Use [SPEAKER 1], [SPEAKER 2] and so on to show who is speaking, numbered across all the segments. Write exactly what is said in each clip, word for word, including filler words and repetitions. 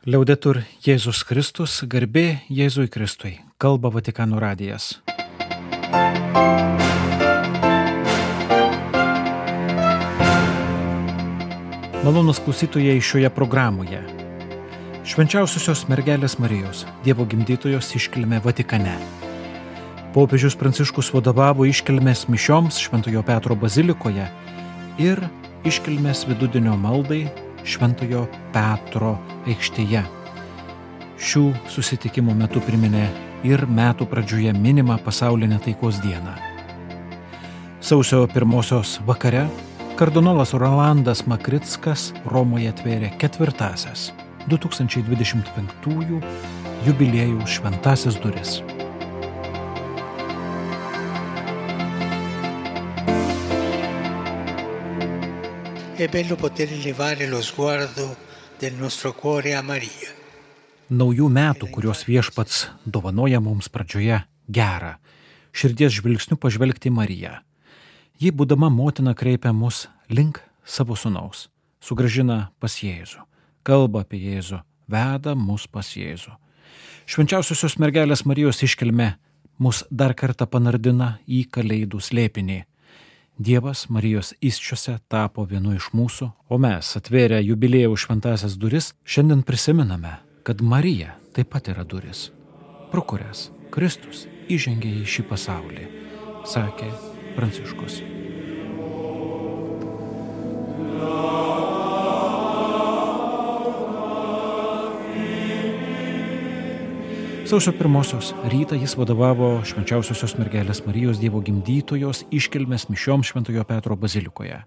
[SPEAKER 1] Liaudetur Jėzus Kristus, garbė Jėzui Kristui, kalba Vatikano radijas. Malonūs klausytojai šioje programoje. Švenčiausiosios mergelės Marijos, Dievo gimdytojos iškilmė Vatikane. Popiežius Pranciškus vadovavo iškilmės mišioms Šventojo Petro bazilikoje ir iškilmės vidudienio maldai Šventojo Petro aikštėje. Šių susitikimų metu priminė ir metų pradžioje minimą pasaulinę taikos dieną. Sausio pirmosios vakare kardinolas Rolandas Makrickas Romoje atvėrė ketvirtąsias du tūkstančiai dvidešimt penktųjų jubiliejaus šventąsias duris.
[SPEAKER 2] È bello poter elevare lo sguardo del nostro cuore a Maria.
[SPEAKER 1] Naujų metų, kuriuos viešpats dovanoja mums pradžioje, gera, širdies žvilgsniu pažvelgti į Mariją. Ji, būdama motina, kreipia mus link savo sūnaus, sugrąžina pas Jėzų, kalba apie Jėzų, veda mus pas Jėzų. Švenčiausiosios mergelės Marijos iškilmė mus dar kartą panardina į Kalėdų slėpinį. Dievas Marijos įsčiose tapo vienu iš mūsų, o mes, atvėrę jubiliejaus šventąsias duris, šiandien prisimename, kad Marija taip pat yra duris, pro kurias Kristus įžengė į šį pasaulį, sakė Pranciškus. Sausio pirmosios rytą jis vadovavo Švenčiausiosios mergelės Marijos Dievo gimdytojos iškilmės mišioms Šventojo Petro bazilikoje.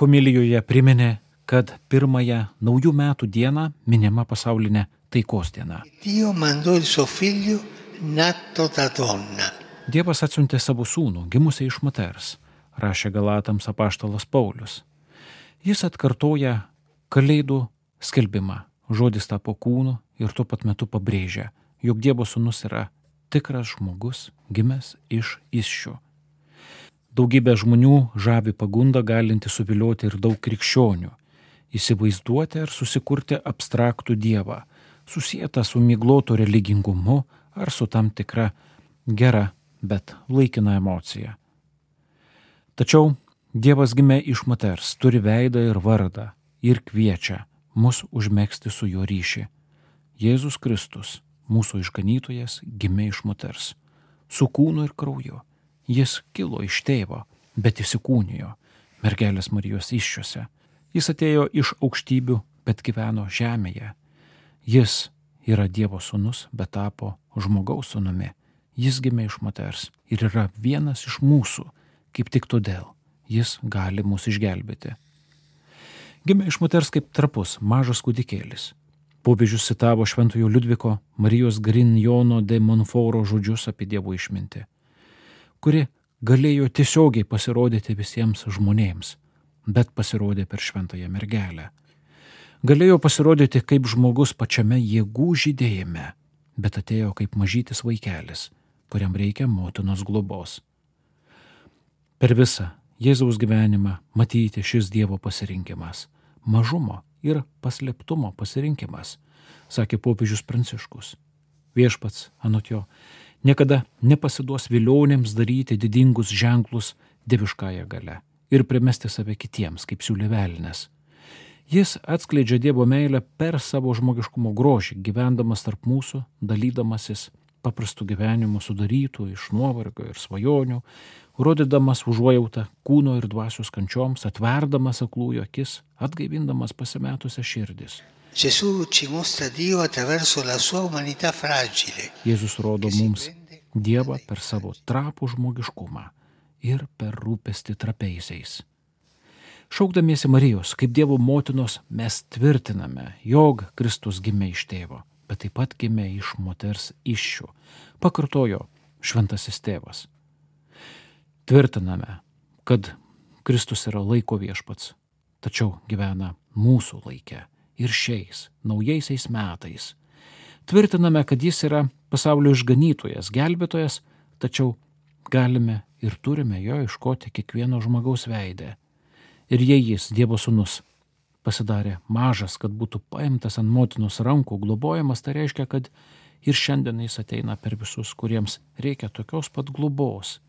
[SPEAKER 1] Homilijoje priminė, kad pirmąją naujų metų dieną minima pasaulinė taikos diena.
[SPEAKER 2] Dio mandò il suo figlio nato da donna.
[SPEAKER 1] Dievas atsiuntė savo sūnų, gimusią iš moters, rašė Galatams apaštalas Paulius. Jis atkartoja Kalėdų skelbimą, žodis tapo kūnu ir tuo pat metu pabrėžia, jog Dievo sūnus yra tikras žmogus, gimęs iš įsčių. Daugybė žmonių žavi pagunda galinti suvilioti ir daug krikščionių, įsivaizduoti ir susikurti abstraktų Dievą, susietą su miglotu religingumu ar su tam tikra gera, bet laikina emocija. Tačiau Dievas gimė iš moters, turi veidą ir vardą ir kviečia mus užmegzti su juo ryšį. Jėzus Kristus, mūsų išganytojas, gimė iš moters, su kūnu ir krauju. Jis kilo iš tėvo, bet įsikūnijo mergelės Marijos įsčiose. Jis atėjo iš aukštybių, bet gyveno žemėje. Jis yra Dievo sūnus, bet tapo žmogaus sūnumi. Jis gimė iš moters ir yra vienas iš mūsų, kaip tik todėl jis gali mus išgelbėti. Gimė iš moters kaip trapus, mažas kūdikėlis. Popiežius citavo Šventojo Liudviko Marijos Grignono de Montforo žodžius apie Dievo išmintį, kuri galėjo tiesiogiai pasirodyti visiems žmonėms, bet pasirodė per šventąją mergelę. Galėjo pasirodyti kaip žmogus pačiame jėgų žydėjime, bet atėjo kaip mažytis vaikelis, kuriam reikia motinos globos. Per visą Jėzaus gyvenimą matyti šis Dievo pasirinkimas, mažumo ir paslėptumo pasirinkimas, sakė popiežius Pranciškus. Viešpats, anot jo, niekada nepasiduos vilionėms daryti didingus ženklus dieviškąją galia ir primesti save kitiems, kaip siūlė velnias. Jis atskleidžia Dievo meilę per savo žmogiškumo grožį, gyvendamas tarp mūsų, dalydamasis paprastų gyvenimų sudarytų iš nuovargio ir svajonių, rodydamas užuojautą kūno ir dvasios kančioms, atverdamas aklųjų akis, atgaivindamas pasimetusias širdis.
[SPEAKER 2] Gesù ci mostra Dio attraverso la sua umanità fragile.
[SPEAKER 1] Jėzus rodo mums Dievą per savo trapų žmogiškumą ir per rūpestį trapeisiais. Šaukdamiesi Marijos kaip Dievo motinos mes tvirtiname, jog Kristus gimė iš tėvo, bet taip pat gimė iš moters įsčių, pakartojo šventasis tėvas. Tvirtiname, kad Kristus yra laiko viešpats, tačiau gyvena mūsų laike ir šiais naujaisiais metais. Tvirtiname, kad jis yra pasaulio išganytojas, gelbėtojas, tačiau galime ir turime jo ieškoti kiekvieno žmogaus veidę. Ir jei jis, Dievo sūnus, pasidarė mažas, kad būtų paimtas ant motinos rankų, globojamas, tai reiškia, kad ir šiandien jis ateina per visus, kuriems reikia tokios pat globos,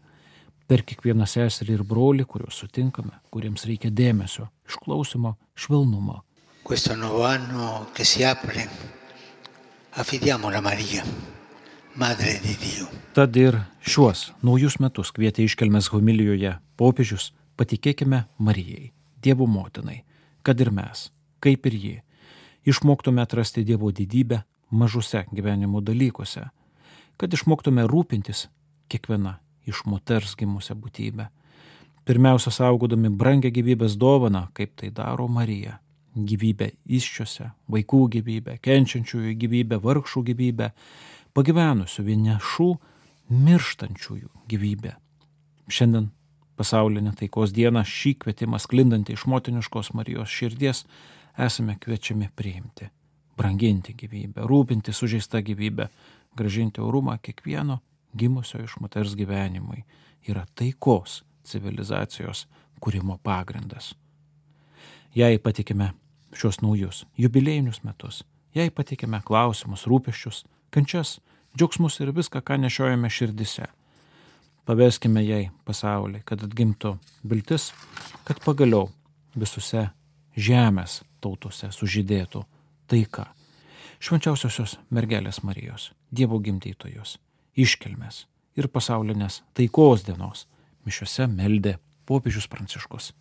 [SPEAKER 1] per kiekvieną seserį ir brolį, kuriuos sutinkame, kuriems reikia dėmesio, išklausimo, švelnumo.
[SPEAKER 2] Questo nuovo anno che si apre, affidiamola a Maria, Madre di Dio.
[SPEAKER 1] Tad ir šiuos naujus metus kvietė iškelmės homilijoje popiežius, patikėkime Marijai, Dievo motinai, kad ir mes, kaip ir ji, išmoktume atrasti Dievo didybę mažuose gyvenimo dalykuose, kad išmoktume rūpintis kiekviena iš moters gimusią būtybę. Pirmiausia, saugodami brangią gyvybės dovaną, kaip tai daro Marija. Gyvybę įsčiose, vaikų gyvybę, kenčiančiųjų gyvybę, vargšų gyvybę, pagyvenusių vienišų, mirštančiųjų gyvybę. Šiandien pasaulinė taikos diena, šį kvietimą sklindantį iš motiniškos Marijos širdies, esame kviečiami priimti, branginti gyvybę, rūpinti sužeistą gyvybę, grąžinti orumą kiekvieno gimusio iš moters gyvenimui. Yra taikos civilizacijos kūrimo pagrindas. Jei patikime šios naujus jubiliejinius metus, jei patikime klausimus, rūpesčius, kančias, džiaugsmus ir viską, ką nešiojame širdise, paveskime jai pasaulį, kad atgimtų viltis, kad pagaliau visose žemės tautose sužydėtų taika. Švenčiausiosios mergelės Marijos, Dievo gimdytojos, iškilmės ir pasaulinės taikos dienos mišiose meldė popiežius Pranciškus.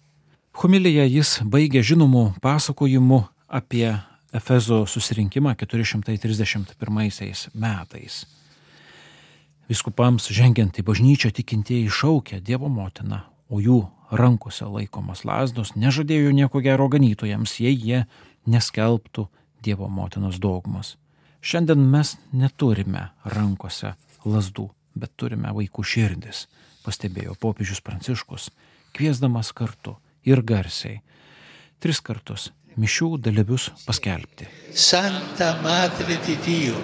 [SPEAKER 1] Homiliją jis baigė žinomų pasakojimų apie Efezo susirinkimą keturi šimtai trisdešimt pirmaisiais metais. Vyskupams žengiant į bažnyčią tikintieji šaukė Dievo motiną, o jų rankose laikomos lazdos nežadėjo nieko gero ganytojams, jei jie neskelbtų Dievo motinos dogmos. Šiandien mes neturime rankose lazdų, bet turime vaikų širdis, pastebėjo popiežius Pranciškus, kviesdamas kartu ir garsiai tris kartus mišių dalyvius paskelbti.
[SPEAKER 2] Santa Madre di Dio,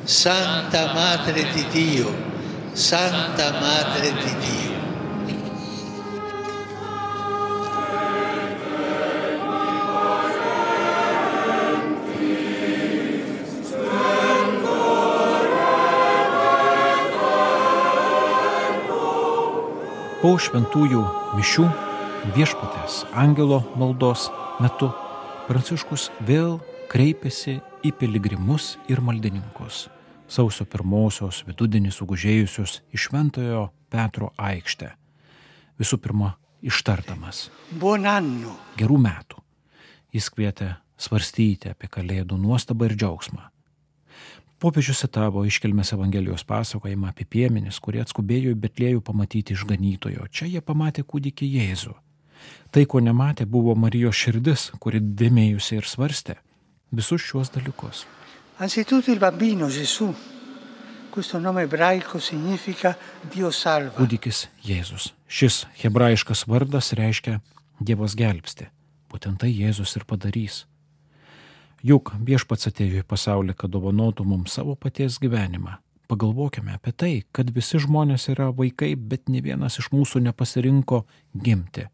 [SPEAKER 2] Santa Madre di Dio, Santa Madre di Dio.
[SPEAKER 1] Po šventųjų mišių viešpatės angelo maldos metu Pranciškus vėl kreipėsi į piligrimus ir maldininkus, sausio pirmosios vidudienį sugužėjusius į Šventojo Petro aikštę. Visų pirma, ištardamas
[SPEAKER 2] Buon anno.
[SPEAKER 1] Gerų metų. Jis kvietė svarstyti apie Kalėdų nuostabą ir džiaugsmą. Popiežius citavo iškilmės Evangelijos pasakojimą apie piemenis, kurie atskubėjo į Betliejų pamatyti išganytojo. Čia jie pamatė kūdikį Jėzų. Tai, ko nematė, buvo Marijos širdis, kuri dėmėjusi ir svarstė visus šiuos dalykus.
[SPEAKER 2] Anzitutto il bambino Gesù. Questo nome ebraico significa Dio salva.
[SPEAKER 1] Kūdikis Jėzus. Šis hebrajiškas vardas reiškia Dievas gelbsti. Būtent tai Jėzus ir padarys. Juk viešpats atėjo į pasaulį, kad dovanotų mums savo paties gyvenimą. Pagalvokime apie tai, kad visi žmonės yra vaikai, bet ne vienas iš mūsų nepasirinko gimti.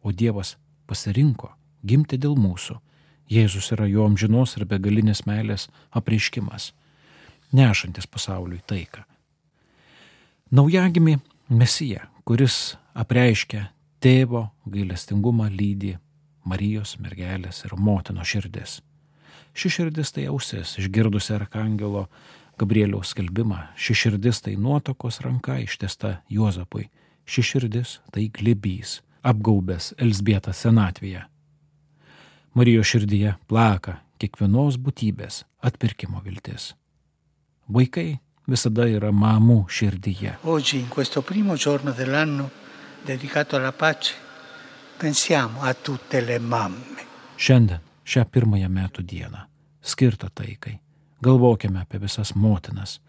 [SPEAKER 1] O Dievas pasirinko gimti dėl mūsų. Jėzus yra jo amžinos ir begalinės meilės apreiškimas, nešantis pasauliui taiką. Naujagimį Mesiją, kuris apreiškia tėvo gailestingumą, lydi Marijos, mergelės ir motinos širdis. Ši širdis tai ausis, išgirdusi arkangelo Gabrieliaus skelbimą. Ši širdis tai nuotakos ranka ištiesta Juozapui. Ši širdis tai glėbys, apgaubęs Elzbietą senatvėje. Marijos širdyje plaka kiekvienos būtybės atpirkimo viltis. Vaikai visada yra mamų širdyje.
[SPEAKER 2] Oggi, in questo primo giorno dell'anno dedicato alla pace, pensiamo a tutte le mamme.
[SPEAKER 1] Šiandien, šią pirmąją metų dieną, skirtą taikai, galvokime apie visas motinas,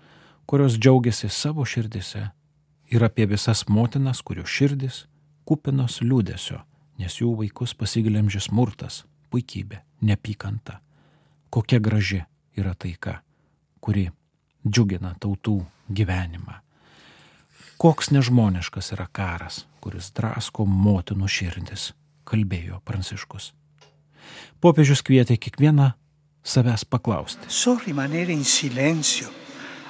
[SPEAKER 1] kurios džiaugiasi savo širdise, ir apie visas motinas, kurių širdis kupinos liūdesio, nes jų vaikus pasiglemžė smurtas, puikybė, neapykanta. Kokia graži yra taika, kuri džiugina tautų gyvenimą. Koks nežmoniškas yra karas, kuris drasko motinų širdis, kalbėjo Pranciškus. Popiežius kvietė kiekvieną savęs paklausti.
[SPEAKER 2] So rimanere in silenzio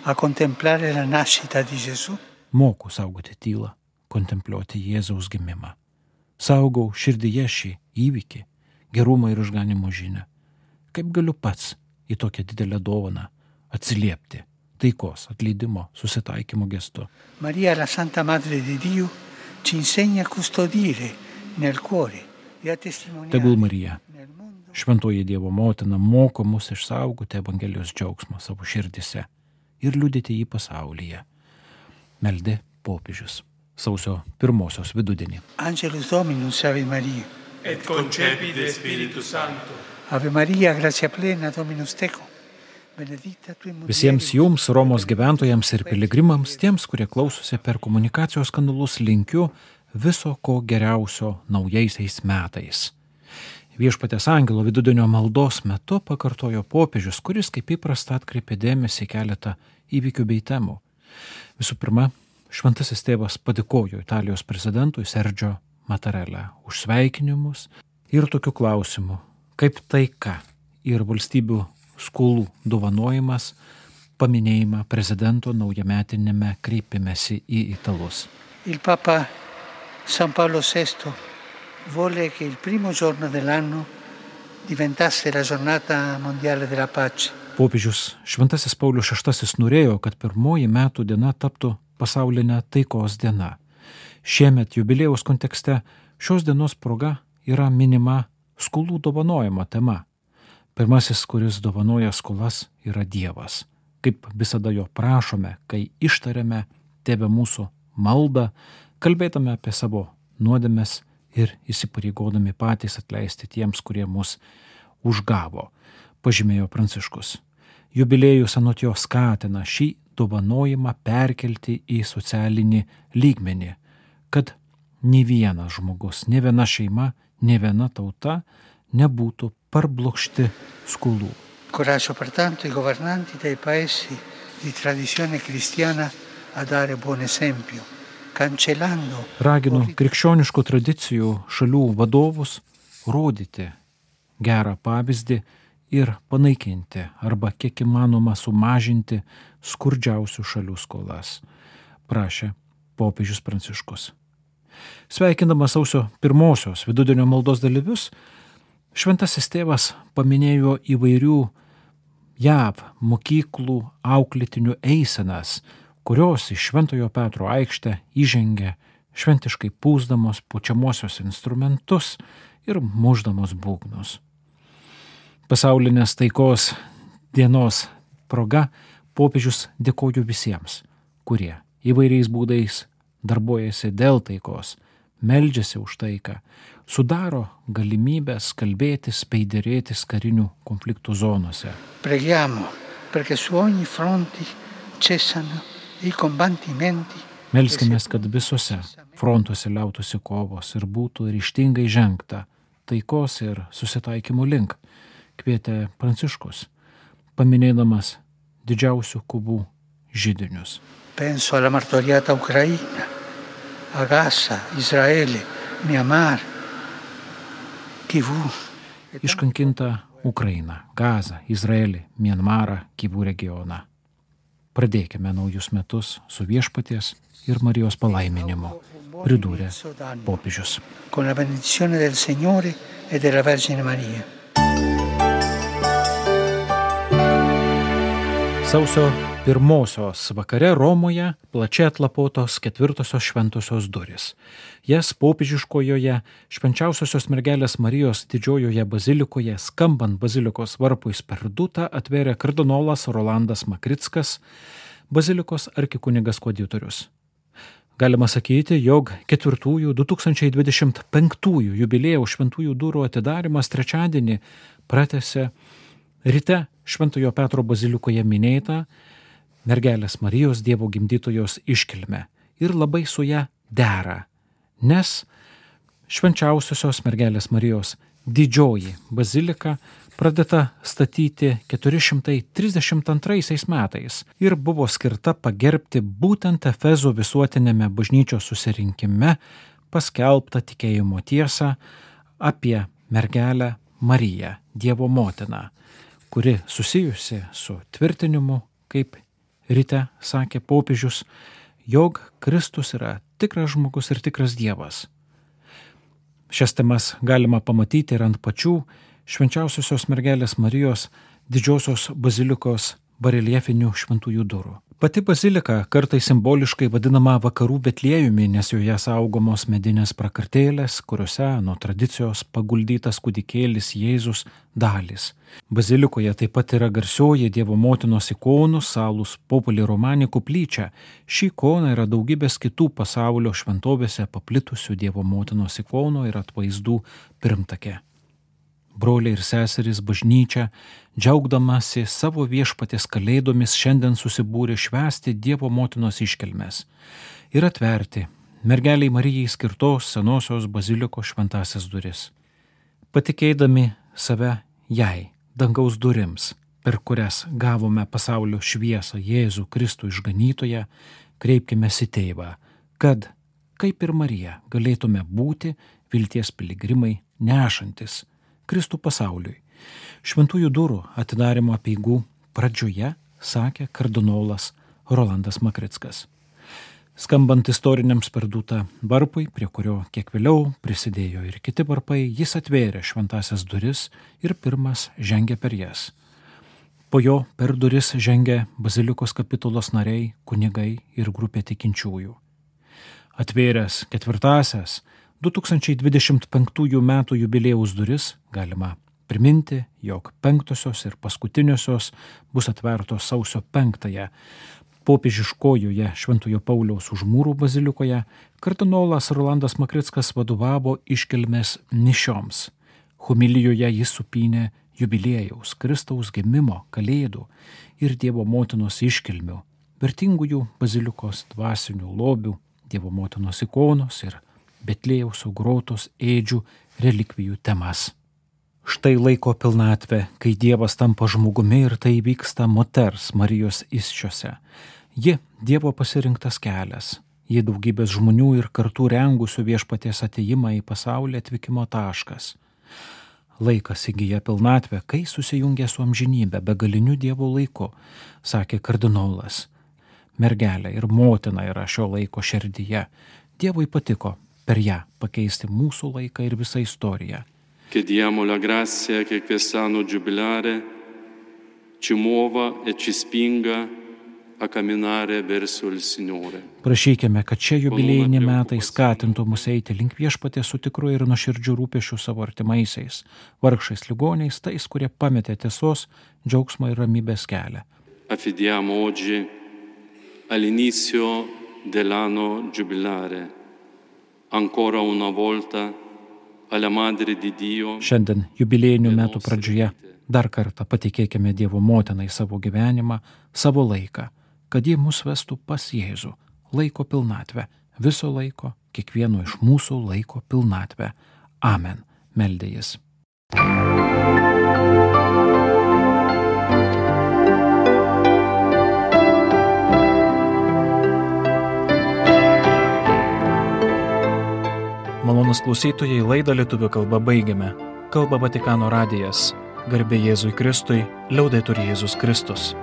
[SPEAKER 2] a contemplare la nascita di Gesù?
[SPEAKER 1] Moku saugoti tylą, kontempliuoti Jėzaus gimimą. Saugau širdyje šį įvykį, gerumą ir išganimo žinią. Kaip galiu pats į tokią didelę dovaną atsiliepti taikos, atleidimo, susitaikymo gestu?
[SPEAKER 2] Maria, la Santa Madre di Dio, ci insegna a custodire nel cuore e a testimoniare.
[SPEAKER 1] Tegul Marija, šventoji Dievo motina, moko mus išsaugoti Evangelijos džiaugsmą savo širdise ir liudyti jį pasaulyje. Meldė popiežius sausio pirmosios vidudienį.
[SPEAKER 2] Angelus Dominus, Ave Maria.
[SPEAKER 3] Et concepit Spiritus Sancto.
[SPEAKER 2] Ave Maria, gratia plena, Dominus tecum. Benedicta tu in mulieribus.
[SPEAKER 1] Visiems jums, Romos gyventojams ir piligrimams, tiems, kurie klausosi per komunikacijos kanalus, linkiu viso ko geriausio naujaisiais metais. Viešpaties angelo vidudienio maldos metu pakartojo popiežius, kuris kaip įprasta atkreipė dėmesį į keletą įvykių bei temų. Visų pirma, šventasis tėvas padėkojo Italijos prezidentui Sergio Mattarella už sveikinimus ir tokių klausimų, kaip taika ir valstybių skolų dovanojimas paminėjimą prezidento naujametinėme kreipimesi į italus.
[SPEAKER 2] Il Papa San Paolo sesto vuole che il primo giorno dell'anno diventasse la giornata mondiale della pace.
[SPEAKER 1] Popiežius šventasis Paulius šeštasis norėjo, kad pirmoji metų diena taptų pasaulinė taikos diena. Šiemet jubiliejaus kontekste šios dienos proga yra minima skolų dovanojimo tema. Pirmasis, kuris dovanoja skolas, yra Dievas. Kaip visada jo prašome, kai ištariame Tėve mūsų maldą, kalbėdami apie savo nuodėmes ir įsipareigodami patys atleisti tiems, kurie mus užgavo, pažymėjo Pranciškus. Jubiliejus anot jo skatina šį dovanojimą perkelti į socialinį lygmenį, kad nei vienas žmogus, nei viena šeima, nei viena tauta nebūtų parblokšti skolų.
[SPEAKER 2] Coraggio pertanto i governanti dei paesi di tradizione cristiana a dare buon esempio, cancellando.
[SPEAKER 1] Raginu krikščioniškų tradicijų šalių vadovus rodyti gerą pavyzdį ir panaikinti arba kiek įmanoma sumažinti skurdžiausių šalių skolas, prašė popiežius Pranciškus. Sveikindamas sausio pirmosios vidudienio maldos dalyvius, šventasis tėvas paminėjo įvairių J A V mokyklų auklėtinių eisenas, kurios iš Šventojo Petro aikštę įžengė šventiškai pūsdamos pučiamuosius instrumentus ir mušdamos būgnus. Pasaulinės taikos dienos proga popiežius dėkoju visiems, kurie įvairiais būdais darbuojasi dėl taikos, meldžiasi už taiką, sudaro galimybės kalbėtis bei derėtis karinių konfliktų zonose.
[SPEAKER 2] Preghiamo perché su ogni fronte cessano i combattimenti.
[SPEAKER 1] Melskimės, kad visose frontuose liautųsi kovos ir būtų ryžtingai žengta taikos ir susitaikymo link, kvietė Pranciškus, paminėdamas didžiausių kovų židinius.
[SPEAKER 2] Penso alla martoriata Ucraina, a Gaza, Izraele, Myanmar, Kivu.
[SPEAKER 1] Iškankinta Ukraina, Gaza, Izraelį, Myanmarą, Kivų regioną. Pradėkime naujus metus su Viešpaties ir Marijos palaiminimu, pridūrė popiežius.
[SPEAKER 2] Con la benedizione del Signore e della Vergine Maria.
[SPEAKER 1] Sausio pirmosios vakare Romoje plačiai atlapotos ketvirtosios šventosios durys. Jas popiežiškojoje švenčiausiosios mergelės Marijos didžiojoje bazilikoje, skambant bazilikos varpui sperduta, atvėrė kardinolas Rolandas Makrickas, bazilikos arkikunigas koadiutorius. Galima sakyti, jog ketvirtųjų du tūkstančiai dvidešimt penktųjų jubiliejaus šventųjų durų atidarimas trečiadienį pratęsė ryte Šventojo Petro bazilikoje minėtą mergelės Marijos Dievo gimdytojos iškilmę ir labai su ją dera, nes švenčiausiosios mergelės Marijos didžioji bazilika pradėta statyti keturi šimtai trisdešimt antraisiais metais ir buvo skirta pagerbti būtent Efezo visuotinėme bažnyčios susirinkime paskelbtą tikėjimo tiesą apie mergelę Mariją, Dievo motiną, kuri susijusi su tvirtinimu, kaip ryte sakė popiežius, jog Kristus yra tikras žmogus ir tikras Dievas. Šias temas galima pamatyti ir ant pačių švenčiausiosios mergelės Marijos didžiosios bazilikos bareljefinių šventųjų durų. Pati bazilika kartais simboliškai vadinama vakarų Betliejumi, nes joje saugomos medinės prakartėlės, kuriuose nuo tradicijos paguldytas kūdikėlis Jėzus dalys. Bazilikoje taip pat yra garsioji Dievo motinos ikonų Salus Populi Romani koplyčia. Ši ikona yra daugybės kitų pasaulio šventovėse paplitusių Dievo motinos ikonų ir atvaizdų pirmtakė. Broliai ir seserys bažnyčia, džiaugdamasi savo viešpaties kalėdomis, šiandien susibūrė švęsti Dievo motinos iškilmes ir atverti mergeliai Marijai skirtos senosios bazilikos šventąsias duris. Patikėdami save jai, dangaus durims, per kurias gavome pasaulio šviesą Jėzų Kristų išganytoją, kreipkime į Tėvą, kad, kaip ir Marija, galėtume būti vilties piligrimai nešantis Kristų pasauliui. Šventųjų durų atidarimo apeigų pradžioje sakė kardinolas Rolandas Makrickas. Skambant istoriniams per dūtą varpui, prie kurio kiek vėliau prisidėjo ir kiti varpai, jis atvėrė šventąsias duris ir pirmas žengė per jas. Po jo per duris žengė bazilikos kapitulos nariai, kunigai ir grupė tikinčiųjų. Atvėręs ketvirtąsias du tūkstančiai dvidešimt penktųjų metų jubiliejaus duris galima priminti, jog penktosios ir paskutiniosios bus atvertos sausio penktąją. Popiežiškojoje Šventojo Pauliaus Užmūrų bazilikoje kardinolas Rolandas Makrickas vadovavo iškilmės mišioms. Homilijoje jis supynė jubiliejaus, Kristaus gimimo, kalėdų ir Dievo motinos iškilmių, vertingųjų bazilikos dvasinių lobių, Dievo motinos ikonos ir Betliejaus augrotos ėdžių relikvijų temas. Štai laiko pilnatvė, kai Dievas tampa žmogumi ir tai vyksta moters Marijos įsčiose. Ji Dievo pasirinktas kelias, ji daugybės žmonių ir kartų rengusių viešpaties atėjimą į pasaulį atvykimo taškas. Laikas įgyja pilnatvę, kai susijungia su amžinybė, begaliniu Dievo laiku, sakė kardinolas. Mergelė ir motina yra šio laiko širdyje. Dievui patiko per ją pakeisti mūsų laiką ir visą istoriją.
[SPEAKER 3] Chiediamo la grazia che quest'anno giubilare ci muova e ci spinga a camminare verso il Signore.
[SPEAKER 1] Prašykime, kad šie jubiliejiniai metai skatintų mus eiti link viešpaties su tikru ir nuoširdžiu rūpesčiu savo artimaisiais, vargšais ligoniais, tais, kurie pametė tiesos, džiaugsmo ir ramybės kelią.
[SPEAKER 3] Affidiamo oggi all'inizio dell'anno giubilare ancora una volta alla Madre di Dio.
[SPEAKER 1] Šiandien jubiliejinių metų pradžioje dar kartą patikėkime Dievo motinai savo gyvenimą, savo laiką, kad ji mus vestų pas Jėzų, laiko pilnatvę, viso laiko, kiekvieno iš mūsų laiko pilnatvę. Amen, meldė jis. Malonūs klausytojai, laidą lietuvių kalba baigiame. Kalba Vatikano radijas. Garbė Jėzui Kristui, liaudetur Jėzus Kristus.